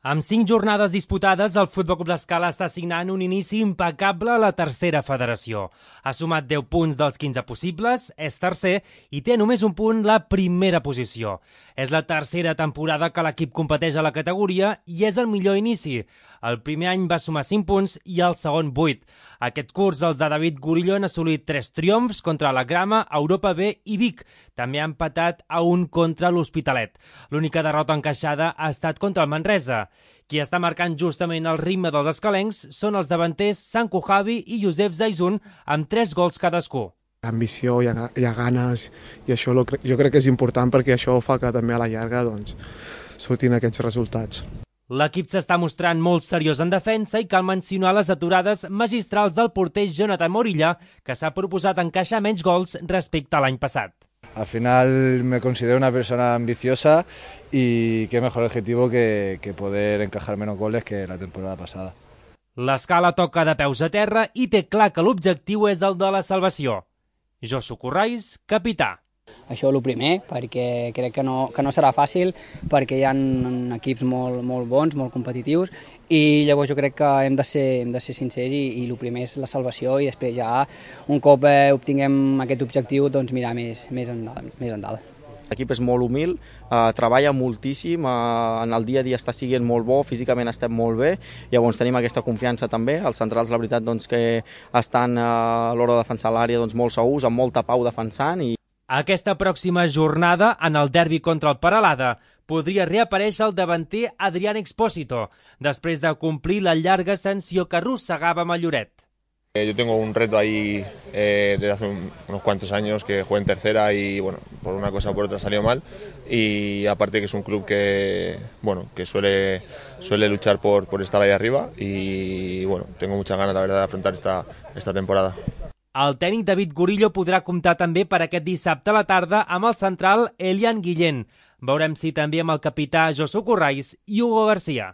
Amb 5 jornades disputades, el Futbol Club l'Escala està signant un inici impecable a la tercera federació. Ha sumat 10 punts dels 15 possibles, és tercer i té només un punt la primera posició. És la tercera temporada que l'equip competeix a la categoria i és el millor inici. El primer any va sumar 5 punts i el segon 8. Aquest curs els de David Gurillo han assolit 3 triomfs contra la Grama, Europa B i Vic. També han empatat a 1 contra l'Hospitalet. L'única derrota encaixada ha estat contra el Manresa. Qui està marcant justament el ritme dels escalencs són els davanters Sanko Javi i Josep Zaizun amb 3 gols cadascú. Ambició, hi ha ganes i això jo crec que és important perquè això fa que també a la llarga surtin aquests resultats. L'equip s'està mostrant molt seriós en defensa i cal mencionar les aturades magistrals del porter Jonathan Morilla, que s'ha proposat encaixar menys gols respecte a l'any passat. Al final me considero una persona ambiciosa y qué mejor objetivo que poder encajar menos goles que la temporada pasada. L'Escala toca de peus a terra i té clar que l'objectiu és el de la salvació. Josu Corrais, capità. Això és el primer, perquè crec que no serà fàcil, perquè hi ha equips molt bons, molt competitius, i llavors jo crec que hem de ser sincers i el primer és la salvació i després ja, un cop obtinguem aquest objectiu, doncs mirar més endavant. L'equip és molt humil, treballa moltíssim, en el dia a dia està sent molt bo, físicament estem molt bé, llavors tenim aquesta confiança també. Els centrals, la veritat, doncs, que estan a l'hora de defensar l'àrea molt segurs, amb molta pau defensant. Aquesta pròxima jornada, en el derbi contra el Peralada, podria reaparèixer el davanter Adrián Expósito, després de complir la llarga sanció que arrossegava amb el Lloret. Yo tengo un reto ahí desde hace unos cuantos años, que jugué en tercera y bueno, por una cosa o por otra salió mal, y aparte que es un club que suele luchar por estar ahí arriba y bueno, tengo muchas ganas la verdad de afrontar esta temporada. El tècnic David Gurillo podrà comptar també per aquest dissabte a la tarda amb el central Elian Guillén. Veurem si també amb el capità Josu Corrais i Hugo García.